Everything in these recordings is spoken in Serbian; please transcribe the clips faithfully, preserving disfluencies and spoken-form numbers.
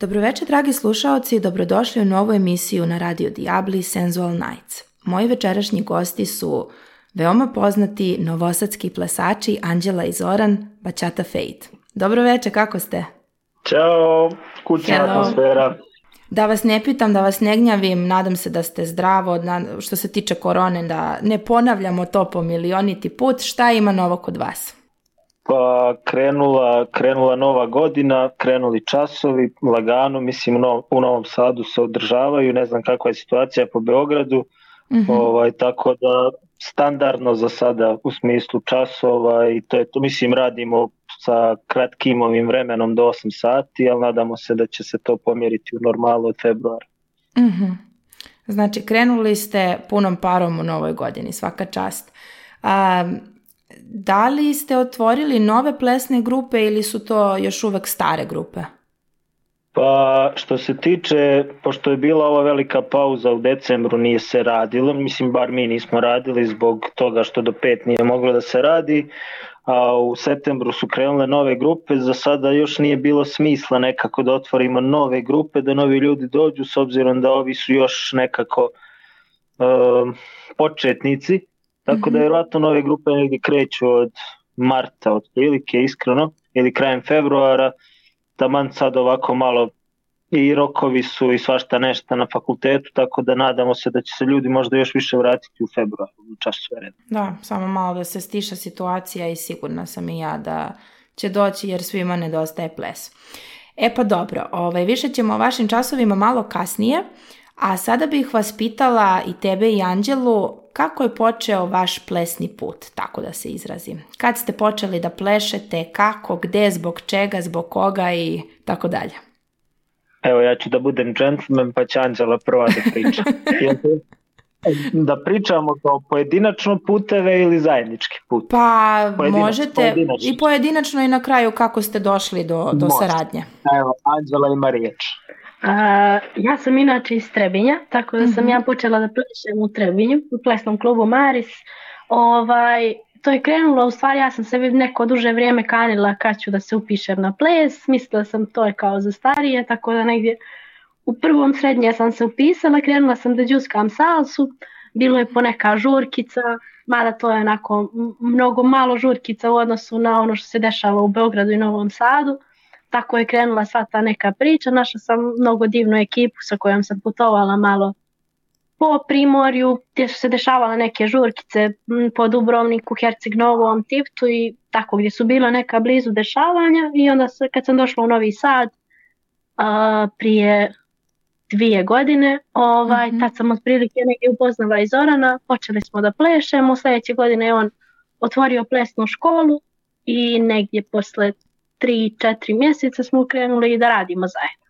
Dobroveče, dragi slušaoci, i dobrodošli u novu emisiju na Radio Diabli Sensual Nights. Moji večerašnji gosti su veoma poznati novosadski plesači Anđela i Zoran, Bachata Fade. Dobroveče, kako ste? Ćao, kućna atmosfera. Da vas ne pitam, da vas ne gnjavim, nadam se da ste zdravo, što se tiče korone, da ne ponavljamo to po milioniti put. Šta ima novo kod vas? Pa krenula, krenula nova godina, krenuli časovi, lagano, mislim u, u Novom Sadu se održavaju, ne znam kakva je situacija po Beogradu, mm-hmm. ovaj, tako da standardno za sada u smislu časova i to je to, mislim radimo sa kratkim ovim vremenom do osam sati, ali nadamo se da će se to pomjeriti u normalu od februara. Mm-hmm. Znači krenuli ste punom parom u novoj godini, svaka čast. Um, Da li ste otvorili nove plesne grupe ili su to još uvek stare grupe? Pa što se tiče, pošto je bila ova velika pauza u decembru, nije se radilo, mislim bar mi nismo radili zbog toga što do pet nije moglo da se radi, a u septembru su krenule nove grupe, za sada još nije bilo smisla nekako da otvorimo nove grupe, da novi ljudi dođu s obzirom da ovi su još nekako uh, početnici. Tako da vjerojatno nove grupe negdje kreću od marta, od prilike, iskreno, ili krajem februara, taman sad ovako malo i rokovi su i svašta nešto na fakultetu, tako da nadamo se da će se ljudi možda još više vratiti u februaru, u času reda. Da, samo malo da se stiša situacija i sigurna sam i ja da će doći jer svima nedostaje ples. E pa dobro, ovaj, više ćemo o vašim časovima malo kasnije, a sada bih vas pitala i tebe i Anđelu, kako je počeo vaš plesni put, tako da se izrazim? Kad ste počeli da plešete, kako, gde, zbog čega, zbog koga i tako dalje? Evo ja ću da budem džentlmen pa će Anđela prva da priča. Da pričamo kao pojedinačno puteve ili zajednički put? Pa pojedinačno, možete pojedinačno. I pojedinačno i na kraju kako ste došli do, do saradnje. Evo, Anđela ima riječ. Uh, ja sam inače iz Trebinja, tako da sam mm-hmm. ja počela da plešem u Trebinju, u plesnom klubu Maris. Ovaj, to je krenulo, u stvari ja sam se neko duže vrijeme kanila kad ću da se upišem na ples, mislila sam to je kao za starije, tako da negdje u prvom srednje sam se upisala, krenula sam da džuskam salsu, bilo je poneka žurkica, mada to je onako mnogo malo žurkica u odnosu na ono što se dešava u Beogradu i Novom Sadu. Tako je krenula sva ta neka priča, našla sam mnogo divnu ekipu sa kojom sam putovala malo po Primorju, gdje su se dešavale neke žurkice po Dubrovniku, Herceg Novom, Tivtu i tako gdje su bila neka blizu dešavanja i onda se, kad sam došla u Novi Sad a, prije dvije godine, ovaj, mm-hmm. tad sam otprilike negdje upoznala i Zorana, počeli smo da plešemo, sljedeće godine je on otvorio plesnu školu i negdje posle tri, četiri mjeseca smo krenuli da radimo zajedno.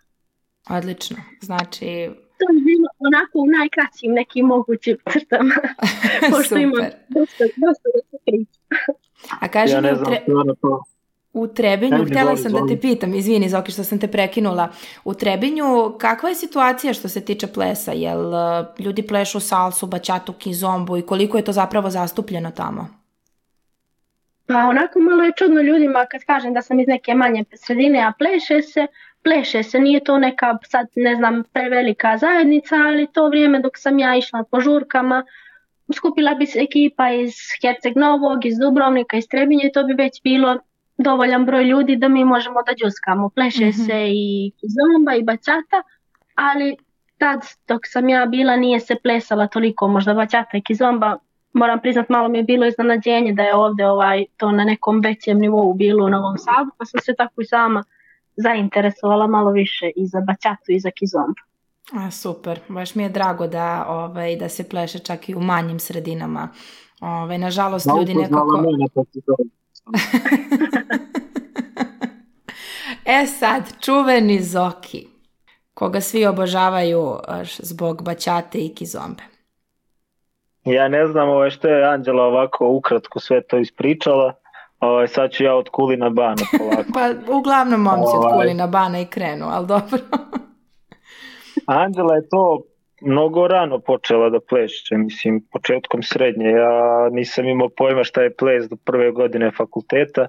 Odlično, znači... To je bilo onako u najkraćim nekim mogućim crtama, pošto imam dosta, dosta da se priča. A kaži ja mi, u, tre... u Trebinju, htjela sam da te pitam, izvini Zoki što sam te prekinula, u Trebinju kakva je situacija što se tiče plesa? Jel ljudi plešu salsu, bačatu, kizombu i koliko je to zapravo zastupljeno tamo? Pa onako malo je čudno ljudima kad kažem da sam iz neke manje sredine, a pleše se, pleše se, nije to neka sad ne znam prevelika zajednica, ali to vrijeme dok sam ja išla po žurkama, skupila bi se ekipa iz Herceg Novog, iz Dubrovnika, iz Trebinja i to bi već bilo dovoljan broj ljudi da mi možemo da džuskamo. Pleše mm-hmm. se i kizomba i bačata, ali tad dok sam ja bila nije se plesala toliko, možda bačata i kizomba. Moram priznat, malo mi je bilo iznenađenje da je ovdje ovaj, to na nekom većem nivou bilo u Novom Sadu, pa sam se tako i sama zainteresovala malo više i za bačatu i za kizombu. A, super, baš mi je drago da, ovaj, da se pleše čak i u manjim sredinama. Ovaj, nažalost, no, ljudi nekako... E sad, čuveni Zoki, koga svi obožavaju zbog bačate i kizombe. Ja ne znam ovo što je Anđela ovako ukratko sve to ispričala, ovaj, sad ću ja od Kulina Bana polako. Pa uglavnom momci od Kulina Bana i krenu, ali dobro. Anđela je to mnogo rano počela da pleše, mislim početkom srednje, ja nisam imao pojma šta je ples do prve godine fakulteta,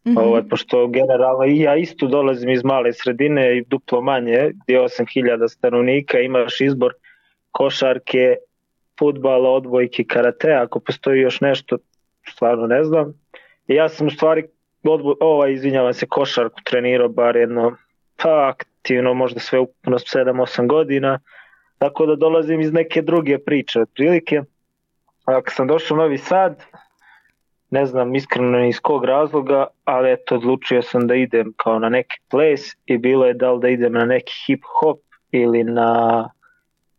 Mm-hmm. Ovo, pošto generalno i ja isto dolazim iz male sredine i duplo manje, gdje osam hiljada stanovnika, imaš izbor košarke, fudbala, odbojke, karate, ako postoji još nešto, stvarno ne znam. I ja sam u stvari, odboj, ovaj, izvinjavam se, košarku trenirao bar jedno, pa aktivno, možda sve ukupno sedam osam godina, tako da dolazim iz neke druge priče otprilike. A kad sam došao u Novi Sad, ne znam iskreno iz kog razloga, ali eto odlučio sam da idem kao na neki ples i bilo je da li da idem na neki hip hop ili na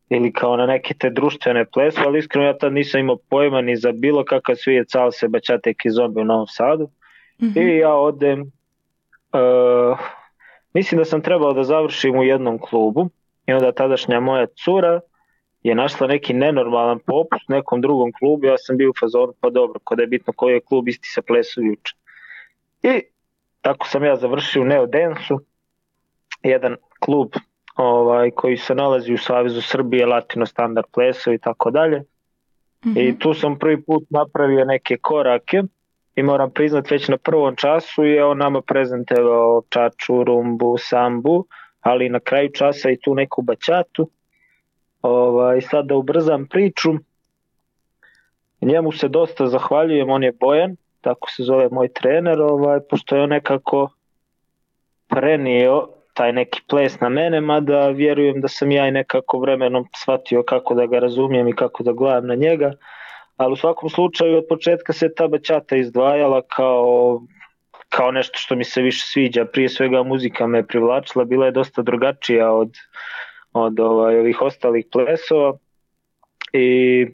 ili kao na neke te društvene plesove, ali iskreno ja tad nisam imao pojma ni za bilo kakav svijet salse, bachate i kizombe u Novom Sadu. Mm-hmm. I ja odem, uh, mislim da sam trebao da završim u jednom klubu i onda tadašnja moja cura je našla neki nenormalan popust u nekom drugom klubu, ja sam bio u fazonu, pa dobro, kada je bitno koji je klub, isti se plesu juče. I tako sam ja završio u Neo Dance-u, jedan klub ovaj, koji se nalazi u Savezu Srbije, Latino Standard plesovi i tako dalje. I tu sam prvi put napravio neke korake i moram priznat već na prvom času je on nama prezentovao čaču, rumbu, sambu, ali na kraju časa i tu neku bačatu. Ovaj, sad da ubrzam priču, njemu se dosta zahvaljujem, on je Bojan, tako se zove moj trener, ovaj, pošto je on nekako prenio taj neki ples na mene, mada vjerujem da sam ja i nekako vremenom shvatio kako da ga razumijem i kako da gledam na njega, ali u svakom slučaju od početka se ta bačata izdvajala kao, kao nešto što mi se više sviđa, prije svega muzika me privlačila, bila je dosta drugačija od od ovaj, ovih ostalih plesova i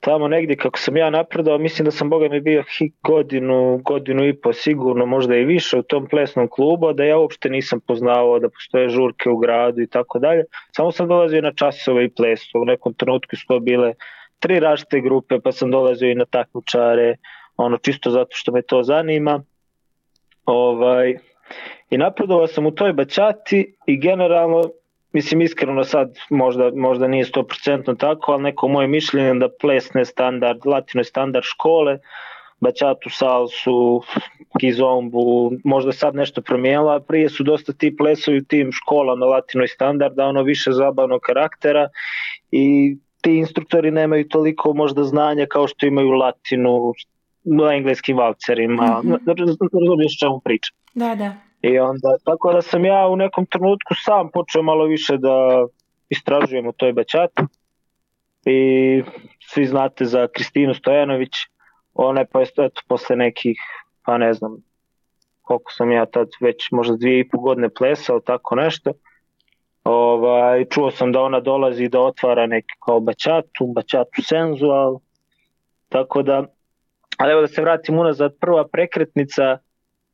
tamo negdje kako sam ja napredao, mislim da sam boga mi bio godinu, godinu i po sigurno, možda i više u tom plesnom klubu, da ja uopšte nisam poznavao da postoje žurke u gradu i tako dalje, samo sam dolazio na časove i plesu, u nekom trenutku su to bile tri različite grupe, pa sam dolazio i na takmičare, ono čisto zato što me to zanima. Ovaj, i napredovao sam u toj bačati i generalno, mislim iskreno sad možda, možda nije sto posto tako, ali neko moje mišljenje da plesne standard, latino standard škole, bačatu, salsu, kizombu, možda sad nešto promijenila, prije su dosta ti plesovi u tim školama latino standarda, ono više zabavnog karaktera i ti instruktori nemaju toliko možda znanja kao što imaju latinu, na engleskim valcerima, mm-hmm. razumiješ čemu pričam. Da, da. I onda, tako da sam ja u nekom trenutku sam počeo malo više da istražujem u toj bačati i svi znate za Kristinu Stojanović, ona je pa eto, posle nekih, pa ne znam koliko sam ja tad već možda dvije i pol godine plesao, tako nešto, ovaj, čuo sam da ona dolazi da otvara neki kao bačatu, bačatu senzual, tako da, ali evo da se vratim unazad, prva prekretnica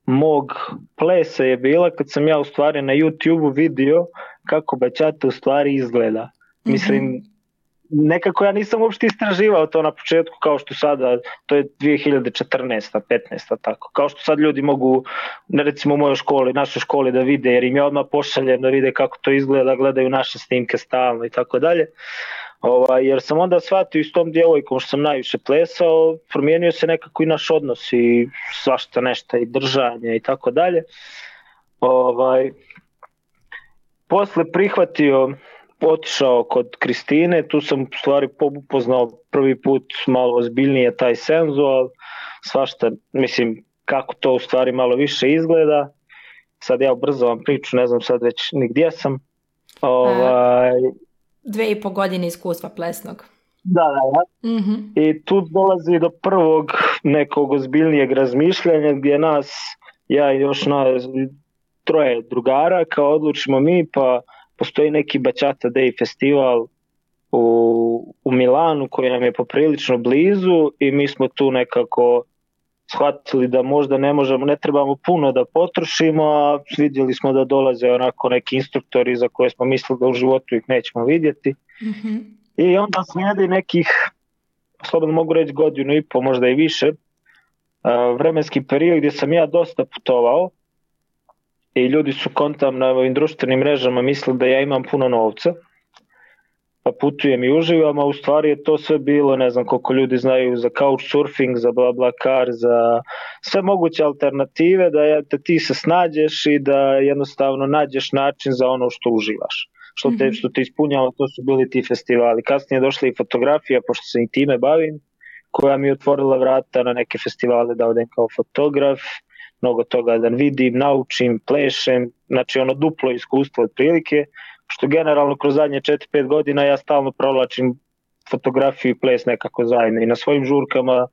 mog plesa je bila kad sam ja u stvari na YouTube vidio kako bačata u stvari izgleda. Mm-hmm. Mislim, nekako ja nisam uopšte istraživao to na početku kao što sada, to je dvije hiljade četrnaesta petnaesta tako, kao što sad ljudi mogu, recimo u mojoj školi, našoj školi da vide, jer im je odmah pošaljem da vide kako to izgleda, gledaju naše snimke stalno i tako dalje. Ovaj, jer sam onda shvatio s tom djevojkom što sam najviše plesao, promijenio se nekako i naš odnos i svašta nešto i držanje i tako dalje. Ovaj, posle prihvatio, otišao kod Kristine, tu sam u stvari upoznao prvi put malo ozbiljnije taj senzual, svašta, mislim kako to u stvari malo više izgleda. Sad ja ubrzavam priču, ne znam sad već ni gdje sam. Ovaj, Dve i po godine iskustva plesnog. Da, da, da. Mm-hmm. I tu dolazi do prvog nekog ozbiljnijeg razmišljanja gdje nas, ja i još na troje drugara, kao odlučimo mi, pa postoji neki Bachata Day festival u, u Milanu koji nam je poprilično blizu i mi smo tu nekako shvatili da možda ne možemo, ne trebamo puno da potrošimo, a vidjeli smo da dolaze onako neki instruktori za koje smo mislili da u životu ih nećemo vidjeti. Mm-hmm. I onda slijedi nekih, slobodno mogu reći godinu i po, možda i više, vremenski period gdje sam ja dosta putovao i ljudi su kontam na ovim društvenim mrežama mislili da ja imam puno novca. pa putujem i uživam, a u stvari je to sve bilo, ne znam koliko ljudi znaju za couchsurfing, za BlaBlaCar, za sve moguće alternative, da, je, da ti se snađeš i da jednostavno nađeš način za ono što uživaš. Što te, što te ispunjava, to su bili ti festivali. Kasnije je došla i fotografija, pošto se i time bavim, koja mi je otvorila vrata na neke festivale da odem kao fotograf, mnogo toga da vidim, naučim, plešem, znači ono duplo iskustvo otprilike, što generalno kroz zadnje četiri pet godina ja stalno provlačim fotografiju i ples nekako zajedno i na svojim žurkama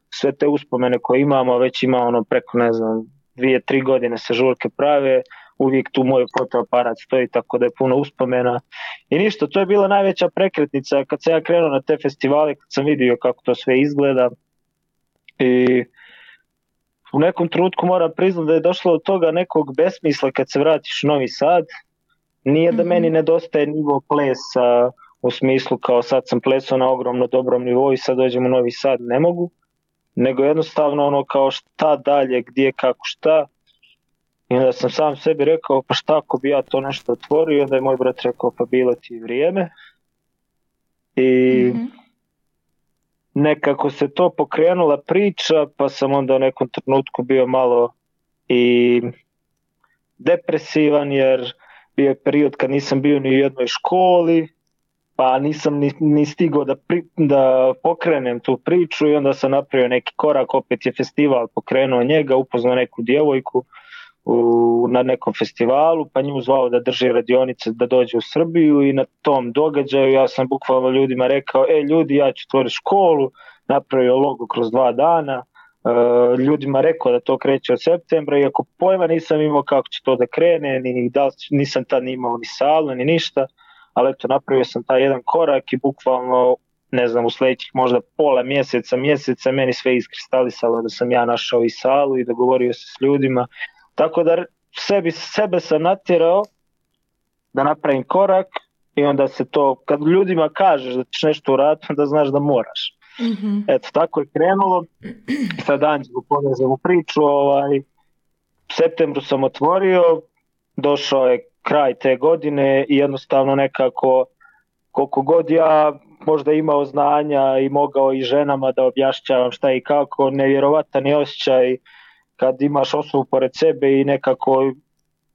sve te uspomene koje imamo, već ima ono preko ne znam dvije, tri godine se žurke prave, uvijek tu moj fotoaparat stoji, tako da je puno uspomena i ništa, to je bila najveća prekretnica kad sam ja krenuo na te festivale, kad sam vidio kako to sve izgleda i u nekom trenutku moram priznati da je došlo od toga nekog besmisla kad se vratiš u Novi Sad. Nije da meni nedostaje nivo plesa u smislu kao sad sam plesao na ogromno dobrom nivou i sad dođem u Novi Sad, ne mogu, nego jednostavno ono kao šta dalje, gdje, kako, šta. I onda sam sam sebi rekao pa šta ako bi ja to nešto otvorio i onda je moj brat rekao pa bilo ti vrijeme. I mm-hmm. nekako se to pokrenula priča pa sam onda u nekom trenutku bio malo i depresivan jer bio je period kad nisam bio ni u jednoj školi, pa nisam ni, ni stigao da, pri, da pokrenem tu priču i onda sam napravio neki korak, opet je festival pokrenuo njega, upoznao neku djevojku u, na nekom festivalu, pa nju zvao da drži radionice da dođe u Srbiju i na tom događaju ja sam bukvalno ljudima rekao, e ljudi ja ću otvoriti školu, napravio logo kroz dva dana, Uh, ljudima rekao da to kreće od septembra, iako pojma nisam imao kako će to da krene, ni da nisam tad ni imao ni salu, ni ništa, ali eto napravio sam taj jedan korak i bukvalno, ne znam, u sljedećih možda pola mjeseca, mjeseca, meni sve iskristalisalo da sam ja našao i salu i dogovorio se s ljudima, tako da sebi, sebe sam natjerao da napravim korak i onda se to, kad ljudima kažeš da ćeš nešto uraditi, onda znaš da moraš. Mm-hmm. Eto, tako je krenulo. Sad Anđelu povezam u priču. Ovaj, u septembru sam otvorio, došao je kraj te godine i jednostavno nekako, koliko god ja možda imao znanja i mogao i ženama da objašnjavam šta i kako, nevjerovatan je osjećaj kad imaš osobu pored sebe i nekako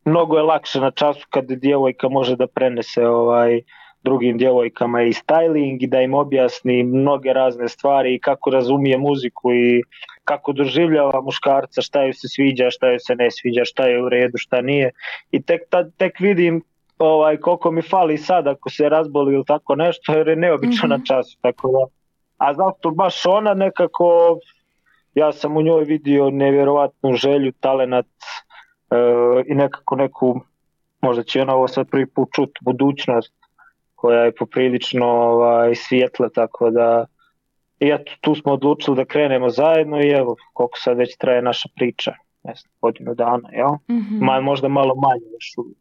mnogo je lakše na času kad djevojka može da prenese ovaj drugim djevojkama i styling i da im objasni mnoge razne stvari i kako razumije muziku i kako doživljava muškarca, šta joj se sviđa, šta joj se ne sviđa, šta je u redu, šta nije. I tek, ta, tek vidim ovaj, koliko mi fali sad ako se razboli ili tako nešto jer je neobično mm-hmm. na času. Tako da. A zato baš ona nekako, ja sam u njoj vidio nevjerovatnu želju, talenat e, i nekako neku, možda će ona ovo sad prvi put čut, budućnost koja je poprilično ovaj, svijetla, tako da i eto, tu smo odlučili da krenemo zajedno i evo koliko sad već traje naša priča, ne znam, godinu dana, jel? Mm-hmm. Ma, možda malo manje još uvijek.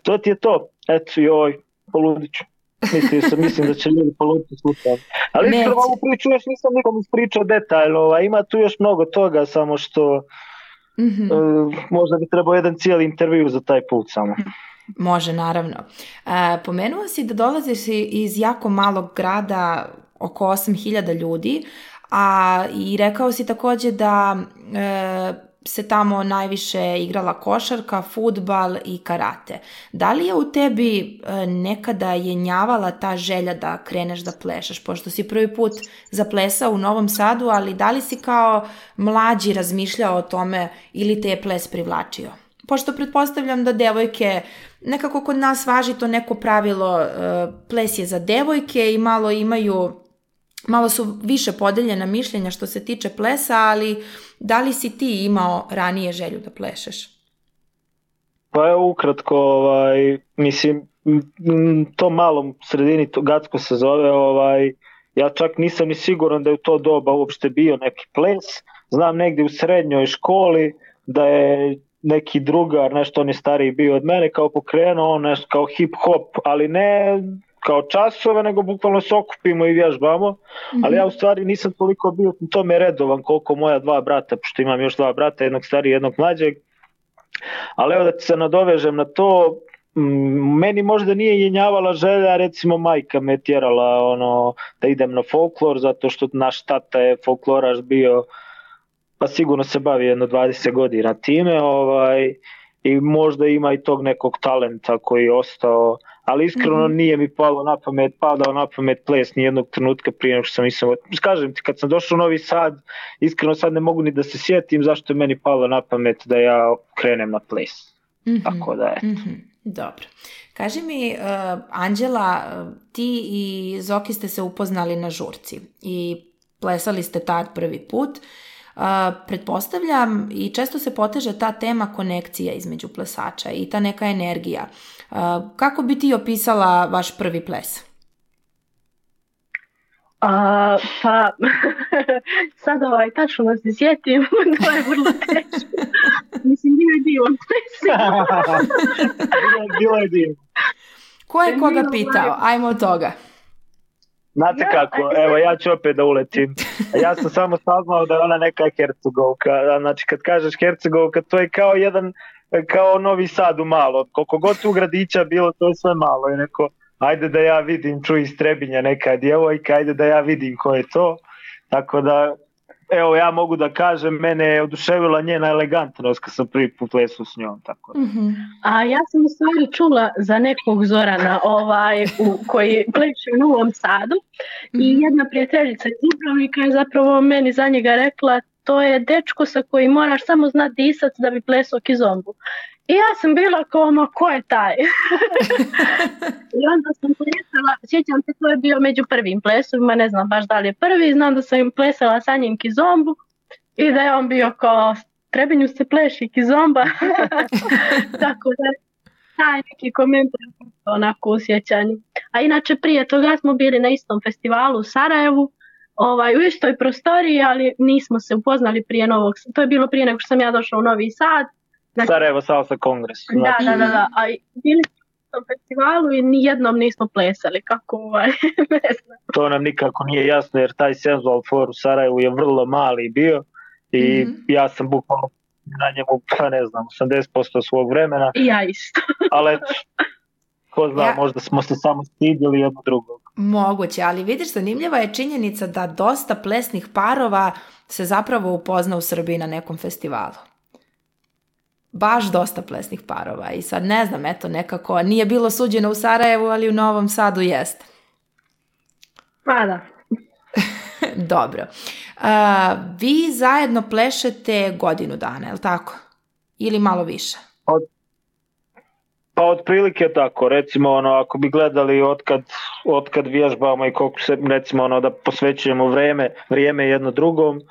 To ti je to, eto joj, poludiću. Mislim, sam, mislim da će ljudi poluditi slučajno. Ali iskreno ovu priču još nisam nikom ispričao detaljno, ovaj, ima tu još mnogo toga, samo što mm-hmm. uh, možda bi trebao jedan cijeli intervju za taj put samo. Može, naravno. E, pomenuo si da dolaziš iz jako malog grada, oko osam hiljada ljudi, a i rekao si također da e, se tamo najviše igrala košarka, fudbal i karate. Da li je u tebi e, nekada jenjavala ta želja da kreneš da plešaš, pošto si prvi put zaplesao u Novom Sadu, ali da li si kao mlađi razmišljao o tome ili te je ples privlačio? Pošto pretpostavljam da devojke, nekako kod nas važi to neko pravilo, ples je za devojke i malo imaju, malo su više podeljena mišljenja što se tiče plesa, ali da li si ti imao ranije želju da plešeš? Pa evo ukratko, ovaj, mislim, to malom sredini, to Gacko se zove, ovaj, ja čak nisam ni siguran da je u to doba uopšte bio neki ples, znam negdje u srednjoj školi da je neki drugar, nešto on je stariji bio od mene, kao pokrenuo on nešto kao hip-hop, ali ne kao časove, nego bukvalno se okupimo i vježbamo, mm-hmm. ali ja u stvari nisam toliko bio u tome redovan koliko moja dva brata, pošto imam još dva brata, jednog stariji, jednog mlađeg, ali evo da se nadovežem na to, meni možda nije jenjavala želja, recimo majka me tjerala ono, da idem na folklor, zato što naš tata je folkloraš bio, pa sigurno se bavi jedno dvadeset godina time, ovaj, i možda ima i tog nekog talenta koji je ostao, ali iskreno mm-hmm. nije mi palo na pamet, padao na pamet ples ni jednog trenutka prije nego što sam mislio. Kažem ti, kad sam došao u Novi Sad, iskreno sad ne mogu ni da se sjetim zašto je meni palo na pamet da ja krenem na ples. Mm-hmm. Tako da je. Mm-hmm. Dobro. Kaži mi, uh, Anđela, ti i Zoki ste se upoznali na žurci i plesali ste tad prvi put. Uh, pretpostavljam i često se poteže ta tema konekcija između plesača i ta neka energija. Uh, kako bi ti opisala vaš prvi ples? Uh, pa, sad ovaj, tačno da se sjetim, to je vrlo teško. Mislim, bio je divan ples. Bilo je divan. Ko je koga pitao? Ajmo od toga. Znate kako, evo ja ću opet da uletim. Ja sam samo saznao da je ona neka Hercegovka. Znači kad kažeš Hercegovka, to je kao jedan, kao Novi Sad u malo. Koliko god tu gradića bilo, to je sve malo. I neko, ajde da ja vidim, čuj iz Trebinja neka djevojka, ajde da ja vidim ko je to. Tako da, evo ja mogu da kažem, mene je oduševila njena elegantnost kad sam prvi put plesao s njom. Tako da. Mm-hmm. A ja sam u stvari čula za nekog Zorana ovaj, u, koji pleše u Novom Sadu mm-hmm. i jedna prijateljica iz Dubrovnika je zapravo meni za njega rekla, to je dečko sa kojim moraš samo znati disat da bi plesao kizombu. I ja sam bila kao, ma ko je taj? I onda sam plesala, sjećam se, to je bio među prvim plesovima, ne znam baš da li je prvi, znam da sam im plesala sa njim kizombu i da je on bio kao, Trebinju se pleši kizomba. Tako da taj neki komentar onako u sjećanju. A inače prije toga smo bili na istom festivalu u Sarajevu, ovaj, u istoj prostoriji, ali nismo se upoznali prije novog, to je bilo prije nego što sam ja došla u Novi Sad. Znači, Sarajevo Salsa Kongres. Znači. Da, da, da, da. A bili smo na festivalu i nijednom nismo plesali, kako ovaj, ne znam. To nam nikako nije jasno, jer taj Senzual Four u Sarajevu je vrlo mali bio i mm-hmm. ja sam bukvalno na njemu, pa ne znam, osamdeset posto svog vremena. I ja isto. Ali ko zna, ja. Možda smo se samo stidili jedno drugog. Moguće, ali vidiš, zanimljiva je činjenica da dosta plesnih parova se zapravo upozna u Srbiji na nekom festivalu. Baš dosta plesnih parova i sad ne znam, eto nekako nije bilo suđeno u Sarajevu, ali u Novom Sadu jeste. Pa da. Dobro. Uh, vi zajedno plešete godinu dana, je li tako? Ili malo više? Od, pa otprilike tako, recimo ono, ako bi gledali otkad, otkad vježbamo i koliko se, recimo ono, da posvećujemo vrijeme, vrijeme jedno drugom,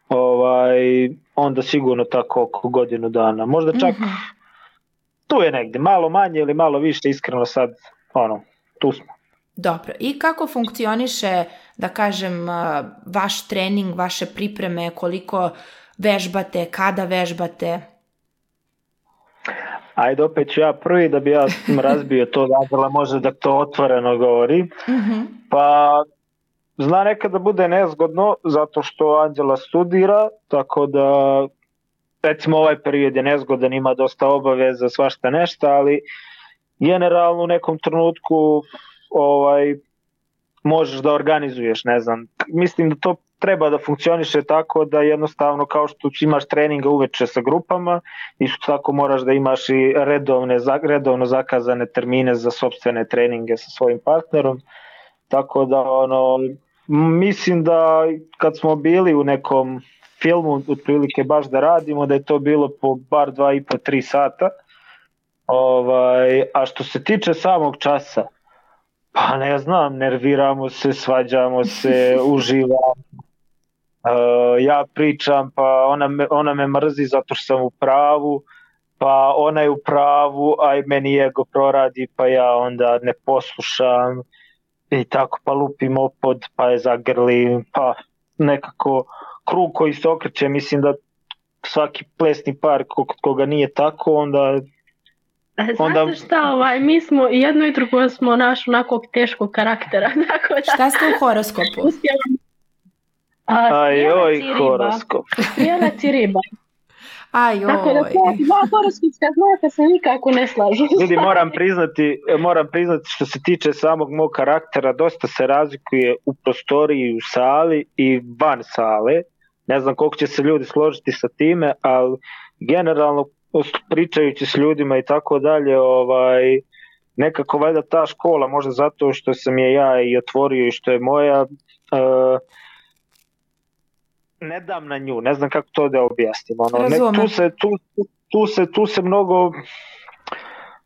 ovaj, onda sigurno tako oko godinu dana. Možda čak mm-hmm. tu je negdje, malo manje ili malo više, iskreno sad, ono, tu smo. Dobro, i kako funkcioniše, da kažem, vaš trening, vaše pripreme, koliko vežbate, kada vežbate? Ajde, opet ću ja prvi da bi ja razbio to, da može da to otvoreno govori. Mm-hmm. Pa zna nekad da bude nezgodno zato što Anđela studira, tako da recimo ovaj period je nezgodan, ima dosta obaveza, svašta nešto, ali generalno u nekom trenutku ovaj, možeš da organizuješ, ne znam. Mislim da to treba da funkcioniše tako da jednostavno kao što imaš treninga uveče sa grupama, isto tako moraš da imaš i redovne, redovno zakazane termine za sopstvene treninge sa svojim partnerom. Tako da ono, mislim da kad smo bili u nekom filmu otprilike baš da radimo, da je to bilo po bar dva i po tri sata. Ovaj, a što se tiče samog časa, pa ne znam, nerviramo se, svađamo se, uživamo. Uh, ja pričam, pa ona me, ona me mrzi zato što sam u pravu, pa ona je u pravu, a i meni ego proradi, pa ja onda ne poslušam i tako, pa lupim opod, pa je zagrlim, pa nekako krug koji se okreće, mislim da svaki plesni par kod koga nije tako, onda... Onda... Znate šta, ovaj, mi smo jedno i drugo smo naš onakvog teškog karaktera. Tako da... Šta ste u horoskopu? A, Ajoj, horoskop. Strijelac i riba. Aj, Tako da to dva horoskopska znaka se nikako ne slažu. Ljudi, moram priznati, moram priznati što se tiče samog mog karaktera, dosta se razlikuje u prostoriji, u sali i van sale. Ne znam koliko će se ljudi složiti sa time, ali generalno pričajući s ljudima i tako dalje, ovaj, nekako valjda ta škola, možda zato što sam je ja i otvorio i što je moja, uh, ne dam na nju, ne znam kako to da objasnim. Ono, ne, tu, se, tu, tu, se, tu se mnogo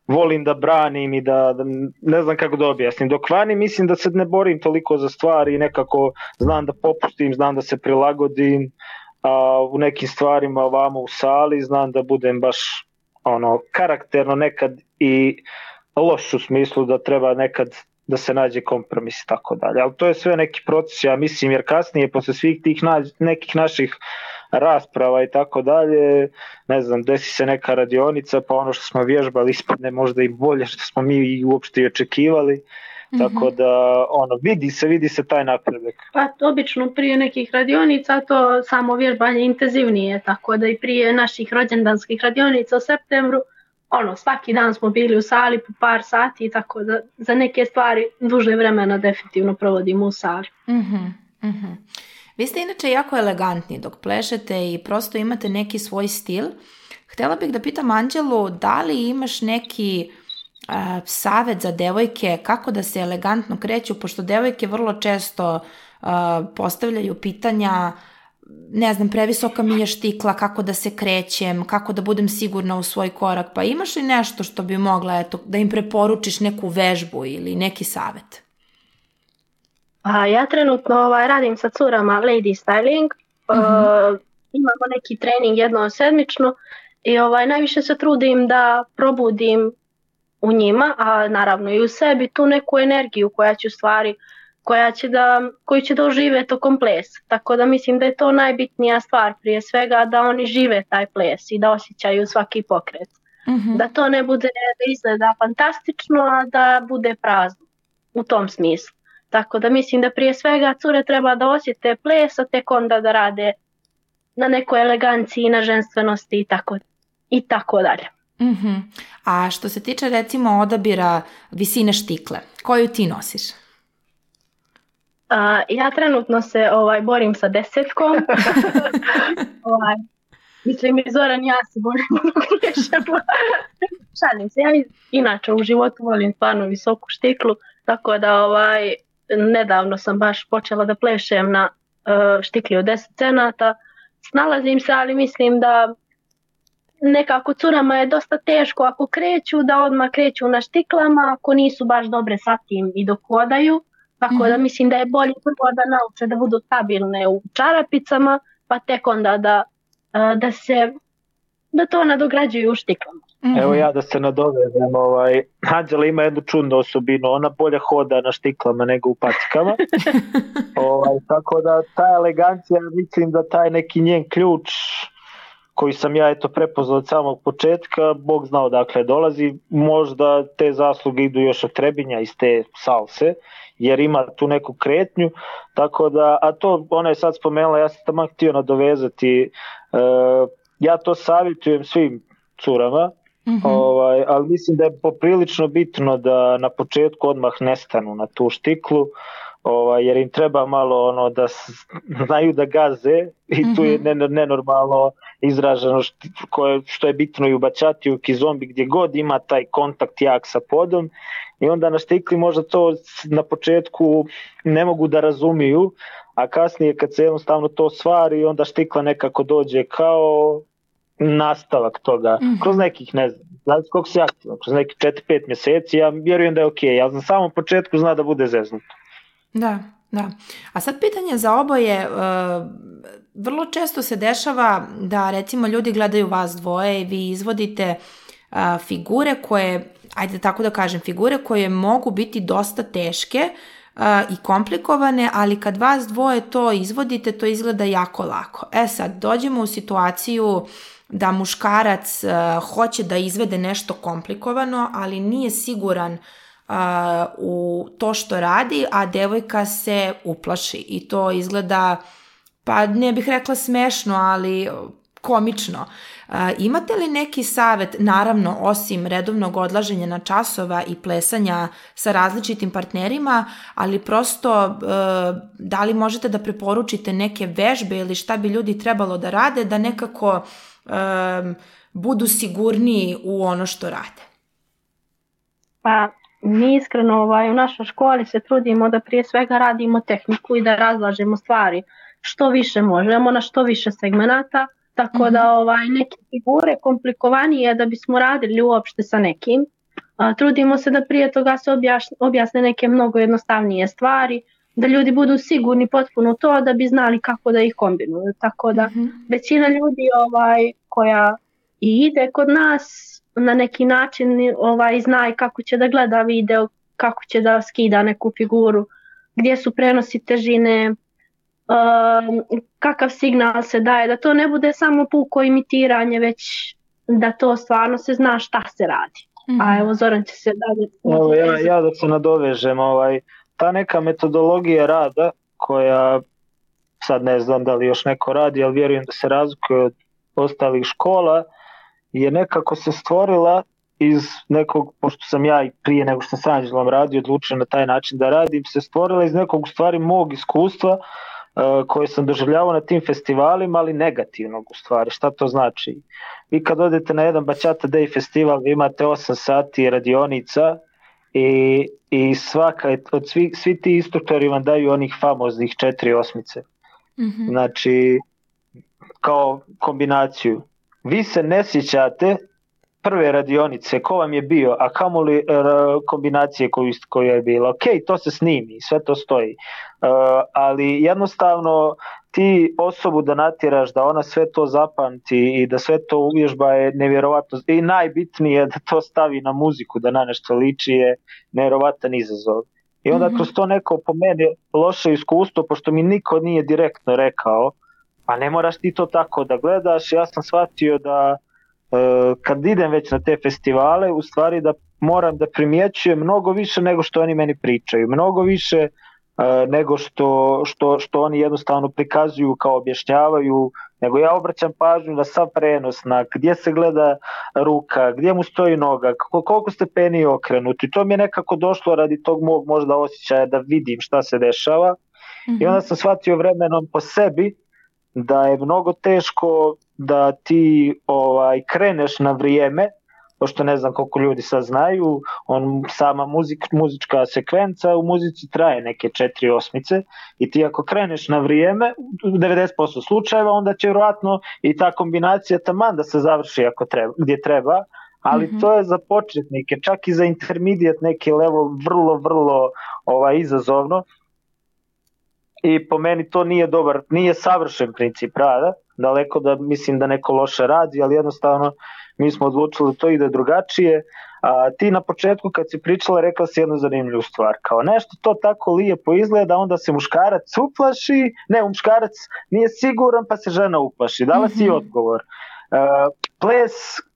volim da branim i da, da ne znam kako da objasnim. Dok vani mislim da se ne borim toliko za stvari, nekako znam da popustim, znam da se prilagodim, a u nekim stvarima ovamo u sali znam da budem baš ono karakterno nekad i loš u smislu da treba nekad da se nađe kompromis i tako dalje. Ali to je sve neki proces, ja mislim, jer kasnije posle svih tih na, nekih naših rasprava i tako dalje, ne znam, desi se neka radionica, pa ono što smo vježbali ispadne možda i bolje što smo mi uopšte i očekivali. Mm-hmm. Tako da, ono, vidi se, vidi se taj napredak. Pa obično prije nekih radionica to samo vježbanje intenzivnije, tako da i prije naših rođendanskih radionica u septembru, ono, svaki dan smo bili u sali po par sati, tako da za neke stvari duže vremena definitivno provodimo u sali. Mm-hmm. Mm-hmm. Vi ste inače jako elegantni dok plešete i prosto imate neki svoj stil. Htjela bih da pitam Anđelu, da li imaš neki uh, savjet za devojke kako da se elegantno kreću, pošto devojke vrlo često uh, postavljaju pitanja, ne znam, previsoka mi je štikla, kako da se krećem, kako da budem sigurna u svoj korak, pa imaš li nešto što bi mogla, eto, da im preporučiš neku vežbu ili neki savjet? A ja trenutno ovaj, radim sa curama Lady Styling, uh-huh. uh, imamo neki trening jednom sedmično i ovaj, najviše se trudim da probudim u njima, a naravno i u sebi, tu neku energiju koja će u stvari, koja će da, koju će da ožive tokom plesa. Tako da mislim da je to najbitnija stvar prije svega, da oni žive taj ples i da osjećaju svaki pokret. Uh-huh. Da to ne bude da izgleda fantastično, a da bude prazno u tom smislu. Tako da mislim da prije svega cure treba da osjete ples, a tek onda da rade na nekoj eleganciji, na ženstvenosti i tako, i tako dalje. Mm-hmm. A što se tiče recimo odabira visine štikle, koju ti nosiš? Uh, ja trenutno se ovaj, borim sa desetkom. ovaj, mislim i Zoran ja se borim šalim se. Ja inače u životu volim stvarno visoku štiklu, tako da ovaj, nedavno sam baš počela da plešem na uh, štikli od deset cenata. Snalazim se, ali mislim da nekako curama je dosta teško ako kreću, da odmah kreću na štiklama, ako nisu baš dobre sa tim i dok hodaju. Tako mm-hmm. da mislim da je bolje prvo da nauče da budu stabilne u čarapicama, pa tek onda da, uh, da se da to nadograđuju u štiklama. Mm-hmm. Evo ja da se nadovežem, ovaj, Anđela ima jednu čudnu osobinu, ona bolje hoda na štiklama nego u pacikama. ovaj, tako da ta elegancija, mislim da taj neki njen ključ koji sam ja eto prepoznao od samog početka, Bog znao dakle dolazi, možda te zasluge idu još od Trebinja iz te salse, jer ima tu neku kretnju, tako da, a to ona je sad spomenula, ja sam tamo htio nadovezati, uh, ja to savjetujem svim curama, mm-hmm. ovaj, ali mislim da je poprilično bitno da na početku odmah nestanu na tu štiklu, ovaj, jer im treba malo ono da znaju da gaze i mm-hmm. tu je nenormalno izraženo što, koje, što je bitno i u bačatiju, kizombi, gdje god ima taj kontakt jak sa podom i onda na štikli možda to na početku ne mogu da razumiju, a kasnije kad se jednostavno to stvari onda štikla nekako dođe kao nastavak toga, mm-hmm. kroz nekih, ne znam, znači koliko se aktivno, kroz nekih četiri pet mjeseci, ja vjerujem da je ok, ja na samom početku zna da bude zeznuto. Da, da. A sad pitanje za oboje, uh, vrlo često se dešava da recimo ljudi gledaju vas dvoje i vi izvodite uh, figure koje, ajde tako da kažem, figure koje mogu biti dosta teške uh, i komplikovane, ali kad vas dvoje to izvodite, to izgleda jako lako. E sad, dođemo u situaciju da muškarac uh, hoće da izvede nešto komplikovano, ali nije siguran Uh, u to što radi, a devojka se uplaši i to izgleda, pa ne bih rekla smešno, ali komično. Uh, imate li neki savjet, naravno osim redovnog odlaženja na časova i plesanja sa različitim partnerima, ali prosto uh, da li možete da preporučite neke vežbe ili šta bi ljudi trebalo da rade da nekako um, budu sigurniji u ono što rade? Pa mi iskreno ovaj, u našoj školi se trudimo da prije svega radimo tehniku i da razlažemo stvari što više možemo na što više segmenata, tako mm-hmm. da ovaj, neke figure komplikovanije da bismo radili uopšte sa nekim. A, trudimo se da prije toga se objašnje, objasne neke mnogo jednostavnije stvari, da ljudi budu sigurni potpuno to da bi znali kako da ih kombinuju. Tako da mm-hmm. većina ljudi ovaj, koja i ide kod nas na neki način ovaj, zna kako će da gleda video, kako će da skida neku figuru, gdje su prenosi težine, Um, kakav signal se daje, da to ne bude samo puko imitiranje, već da to stvarno se zna šta se radi. Mm-hmm. A evo Zoran će se dalje... Evo, ja, ja da se nadovežem, ovaj, ta neka metodologija rada koja, sad ne znam da li još neko radi, ali vjerujem da se razlikuje od ostalih škola, je nekako se stvorila iz nekog, pošto sam ja i prije nego što sam s Anđelom radio, odlučio na taj način da radim, se stvorila iz nekog u stvari mog iskustva Uh, koje sam doživljavao na tim festivalima, ali negativnog u stvari. Šta to znači? Vi kad odete na jedan Bachata Day festival, vi imate osam sati radionica i, i svaka, od svi, svi ti instruktori vam daju onih famoznih četiri osmice. Mm-hmm. Znači, kao kombinaciju. Vi se ne sjećate prve radionice, ko vam je bio, a kamoli uh, kombinacije koju, koja je bila. Ok, to se snimi, sve to stoji. Uh, ali jednostavno ti osobu da natjeraš da ona sve to zapamti i da sve to uvježba je nevjerovatno. I najbitnije da to stavi na muziku, da na nešto liči je nevjerovatan izazov. I onda mm-hmm. kroz to neko po meni loše iskustvo, pošto mi niko nije direktno rekao, a ne moraš ti to tako da gledaš, ja sam shvatio da kad idem već na te festivale, u stvari da moram da primjećujem mnogo više nego što oni meni pričaju, mnogo više uh, nego što, što, što oni jednostavno prikazuju kao objašnjavaju, nego ja obraćam pažnju na sav prenos, na gdje se gleda ruka, gdje mu stoji noga, koliko stepeni je okrenut, i to mi je nekako došlo radi tog mog možda osjećaja da vidim šta se dešava. Mm-hmm. I onda sam shvatio vremenom po sebi da je mnogo teško da ti ovaj kreneš na vrijeme, pošto ne znam koliko ljudi sad znaju, on, sama muzik, muzička sekvenca u muzici traje neke četiri osmice i ti ako kreneš na vrijeme, u devedeset posto slučajeva, onda će vjerojatno i ta kombinacija taman da se završi ako treba, gdje treba, ali mm-hmm. to je za početnike, čak i za intermediate neki level vrlo, vrlo ovaj, izazovno. I po meni to nije dobar, nije savršen princip rada, daleko da mislim da neko loše radi, ali jednostavno mi smo odlučili da to ide drugačije. A ti na početku kad si pričala rekla si jednu zanimljivu stvar, kao nešto to tako lijepo izgleda, onda se muškarac uplaši, ne, muškarac nije siguran pa se žena uplaši, dala si mm-hmm. odgovor. Uh, ples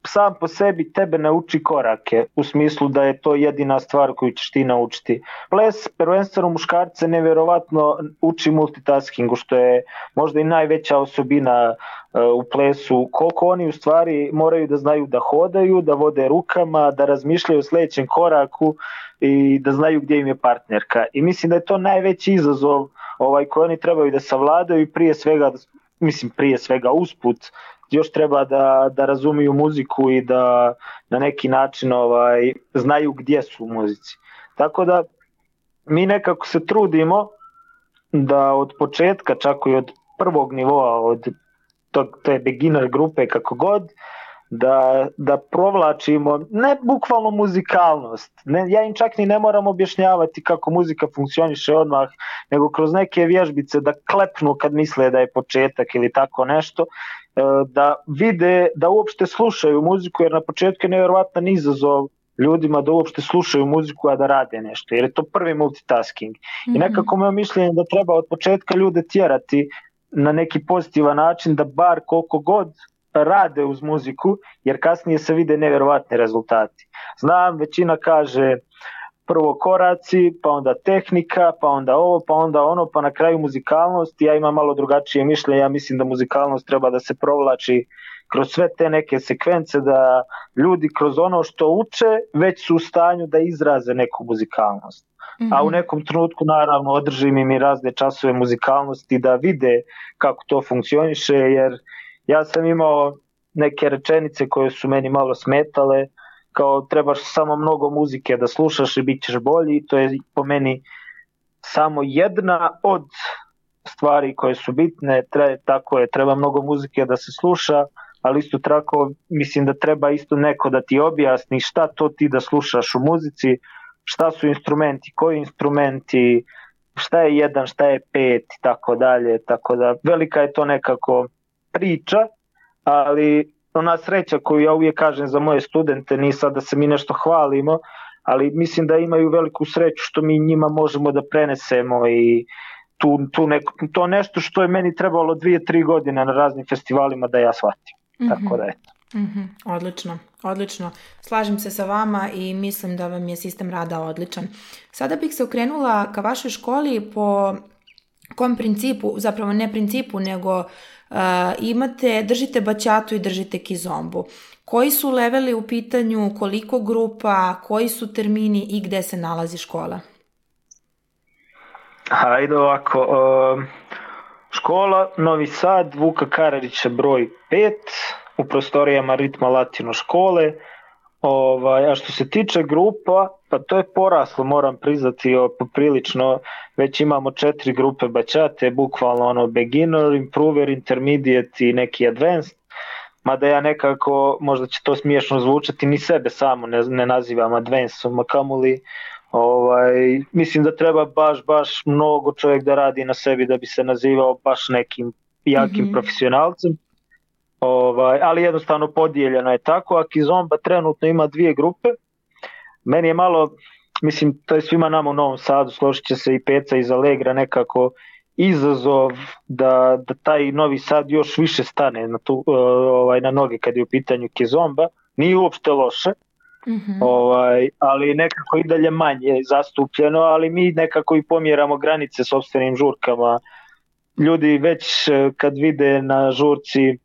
sam po sebi tebe ne uči korake, u smislu da je to jedina stvar koju ćeš ti naučiti. Ples prvenstveno muškarce nevjerovatno uči multitaskingu, što je možda i najveća osobina uh, u plesu, koliko oni u stvari moraju da znaju da hodaju, da vode rukama, da razmišljaju o sljedećem koraku i da znaju gdje im je partnerka. I mislim da je to najveći izazov ovaj, koji oni trebaju da savladaju i prije svega, mislim prije svega usput, još treba da, da razumiju muziku i da na neki način ovaj, znaju gdje su u muzici. Tako da mi nekako se trudimo da od početka, čak i od prvog nivoa, od tog, te beginner grupe kako god, da, da provlačimo ne bukvalno muzikalnost, ne, ja im čak ni ne moram objašnjavati kako muzika funkcioniše odmah, nego kroz neke vježbice da klepnu kad misle da je početak ili tako nešto, da vide, da uopšte slušaju muziku, jer na početku je nevjerovatan izazov ljudima da uopšte slušaju muziku, a da rade nešto, jer je to prvi multitasking. Mm-hmm. I nekako moje mišljenje da treba od početka ljude tjerati na neki pozitivan način, da bar koliko god rade uz muziku, jer kasnije se vide nevjerovatni rezultati. Znam, većina kaže prvo koraci, pa onda tehnika, pa onda ovo, pa onda ono, pa na kraju muzikalnost. Ja imam malo drugačije mišljenje, ja mislim da muzikalnost treba da se provlači kroz sve te neke sekvence, da ljudi kroz ono što uče već su u stanju da izraze neku muzikalnost. Mm-hmm. A u nekom trenutku naravno održim im i razne časove muzikalnosti da vide kako to funkcioniše, jer ja sam imao neke rečenice koje su meni malo smetale, kao trebaš samo mnogo muzike da slušaš i bit ćeš bolji. To je po meni samo jedna od stvari koje su bitne, Tre, tako je, treba mnogo muzike da se sluša, ali isto tako mislim da treba isto neko da ti objasni šta to ti da slušaš u muzici, šta su instrumenti, koji instrumenti, šta je jedan, šta je pet i tako dalje, tako da velika je to nekako priča, ali ona sreća koju ja uvijek kažem za moje studente, nije sad da se mi nešto hvalimo, ali mislim da imaju veliku sreću što mi njima možemo da prenesemo i tu, tu neko, to nešto što je meni trebalo dvije, tri godine na raznim festivalima da ja shvatim. Mm-hmm. Tako da eto. Mm-hmm. Odlično, odlično. Slažem se sa vama i mislim da vam je sistem rada odličan. Sada bih se okrenula ka vašoj školi po kom principu, zapravo ne principu, nego uh, imate, držite baćatu i držite kizombu. Koji su leveli u pitanju, koliko grupa, koji su termini i gde se nalazi škola? Hajde ovako, uh, škola Novi Sad, Vuka Karadžića broj pet, u prostorijama Ritma Latino škole. Ovaj, a što se tiče grupa, pa to je poraslo, moram priznati, poprilično, već imamo četiri grupe baćate, bukvalno ono beginner, improver, intermediate i neki advanced, mada ja nekako, možda će to smiješno zvučati, ni sebe samo ne, ne nazivam advancedom, a kamoli, ovaj, mislim da treba baš, baš mnogo čovjek da radi na sebi da bi se nazivao baš nekim jakim mm-hmm. profesionalcem. Ovaj, ali jednostavno podijeljeno je tako, a Kizomba trenutno ima dvije grupe. Meni je malo, mislim, to je svima nama u Novom Sadu, složit će se i Peca iz Alegra, nekako izazov da, da taj Novi Sad još više stane na, tu, ovaj, na noge kad je u pitanju Kizomba. Nije uopšte loše, mm-hmm. ovaj, ali nekako i dalje manje zastupljeno, ali mi nekako i pomjeramo granice sopstvenim žurkama. Ljudi već kad vide na žurci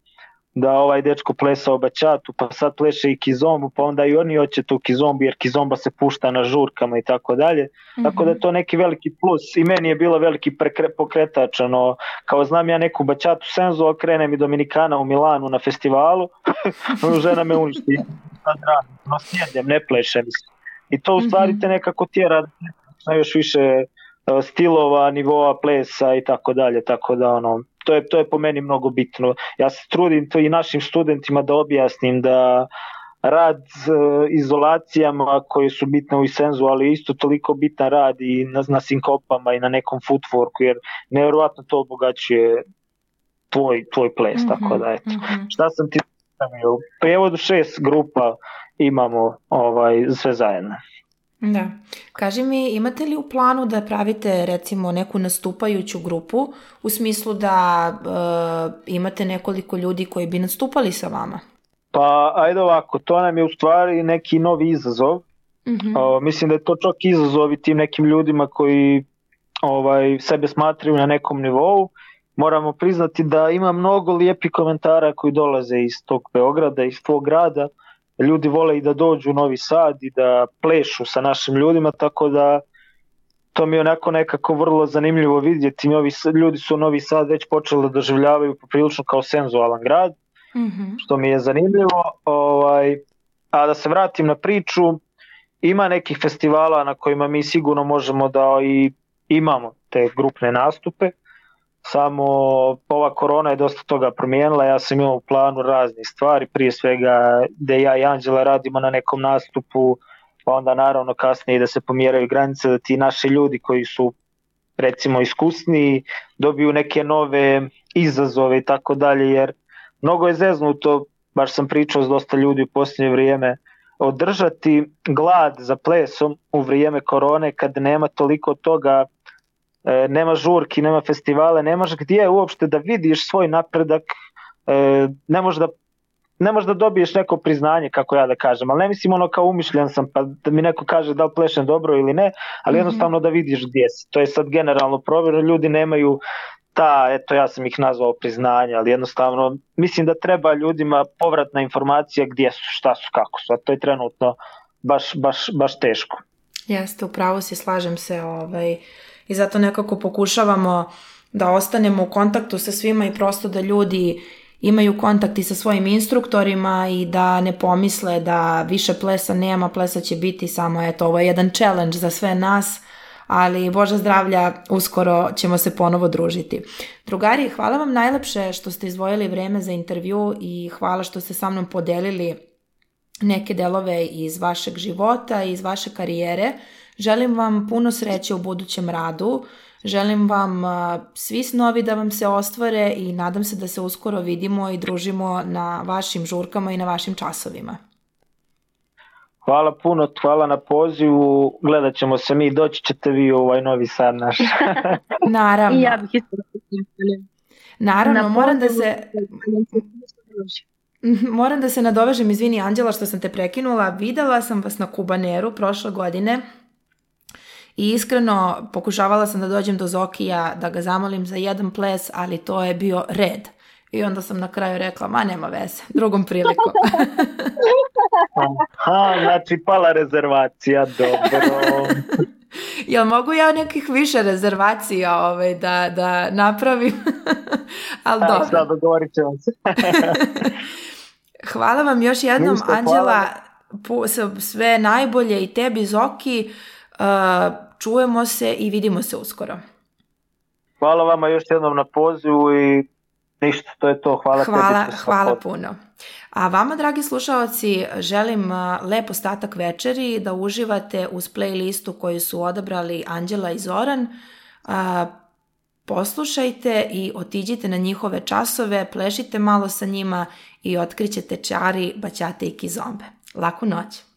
da ovaj dečko plesao baćatu, pa sad pleše i kizombu, pa onda i oni hoće tu kizombu, jer kizomba se pušta na žurkama i tako dalje. Mm-hmm. Tako da je to neki veliki plus i meni je bilo veliki prekre, pokretač, ono, kao znam ja neku baćatu senzu, a krene mi Dominikana u Milanu na festivalu, žena me uništi, sad radim, no sjedem, ne plešem. I to u stvari te nekako tjera na još više stilova, nivoa plesa i tako dalje, tako da ono, to je, to je po meni mnogo bitno. Ja se trudim to i našim studentima da objasnim da rad uh, izolacijama koje su bitne u senzu, ali isto toliko bitan rad i na, na sinkopama i na nekom footworku, jer nevjerovatno to obogaćuje tvoj, tvoj ples, mm-hmm, tako da eto. Mm-hmm. Šta sam ti stavio? U prijevodu šest grupa imamo ovaj, sve zajedno. Da. Kaži mi, imate li u planu da pravite recimo neku nastupajuću grupu u smislu da uh, imate nekoliko ljudi koji bi nastupali sa vama? Pa ajde ovako, to nam je u stvari neki novi izazov. Mm-hmm. Uh, mislim da je to čak izazov i tim nekim ljudima koji ovaj, sebe smatraju na nekom nivou. Moramo priznati da ima mnogo lijepih komentara koji dolaze iz tog Beograda, iz tvog grada. Ljudi vole i da dođu u Novi Sad i da plešu sa našim ljudima, tako da to mi je onako nekako vrlo zanimljivo vidjeti. Novi, ljudi su u Novi Sad već počeli da doživljavaju poprilično kao senzualan grad, mm-hmm. što mi je zanimljivo. Ovaj, a da se vratim na priču, ima nekih festivala na kojima mi sigurno možemo da i imamo te grupne nastupe. Samo ova korona je dosta toga promijenila, ja sam imao u planu raznih stvari, prije svega da ja i Anđela radimo na nekom nastupu, pa onda naravno kasnije da se pomjeraju granice, da ti naši ljudi koji su recimo iskusniji dobiju neke nove izazove i tako dalje, jer mnogo je zeznuto, baš sam pričao s dosta ljudi u posljednje vrijeme, održati glad za plesom u vrijeme korone kad nema toliko toga, E, nema žurki, nema festivale, nemaš gdje uopšte da vidiš svoj napredak, e, ne možeš da ne možeš da dobiješ neko priznanje, kako ja da kažem, ali ne mislim ono kao umišljen sam pa da mi neko kaže da li plešem dobro ili ne, ali jednostavno da vidiš gdje si. To je sad generalno provjereno, ljudi nemaju ta, eto ja sam ih nazvao priznanja, ali jednostavno mislim da treba ljudima povratna informacija gdje su, šta su, kako su, a to je trenutno baš, baš, baš teško. Jeste, upravo si, slažem se, ovaj, i zato nekako pokušavamo da ostanemo u kontaktu sa svima i prosto da ljudi imaju kontakt i sa svojim instruktorima i da ne pomisle da više plesa nema, plesa će biti, samo eto, ovo je jedan challenge za sve nas, ali Bože zdravlja, uskoro ćemo se ponovo družiti. Drugari, hvala vam najlepše što ste izdvojili vreme za intervju i hvala što ste sa mnom podelili neke delove iz vašeg života, iz vaše karijere. Želim vam puno sreće u budućem radu, želim vam svi snovi da vam se ostvare i nadam se da se uskoro vidimo i družimo na vašim žurkama i na vašim časovima. Hvala puno, hvala na pozivu, gledat ćemo se mi, doći ćete vi u ovaj Novi Sad naš. Naravno. I ja bih isto Naravno, moram da se... Moram da se nadovežem, izvini Anđela što sam te prekinula, videla sam vas na Kubaneru prošle godine i iskreno pokušavala sam da dođem do Zokija da ga zamolim za jedan ples, ali to je bio red. I onda sam na kraju rekla, ma nema veze, drugom prilikom. Aha, znači pala rezervacija, dobro. Jel mogu ja nekih više rezervacija ovaj, da, da napravim? Ali da, dobro. Sad dogovorit ćemo se. Hvala vam još jednom, Ništa, Anđela, pu- sve najbolje i tebi, Zoki. Uh, čujemo se i vidimo se uskoro. Hvala vama još jednom na pozivu i ništa, to je to. Hvala, hvala, tebi. hvala puno. A vama, dragi slušaoci, želim lep ostatak večeri, da uživate uz playlistu koju su odabrali Anđela i Zoran. Poslušajte i otiđite na njihove časove, plešite malo sa njima i otkrićete čari, baćate i kizombe. Laku noć!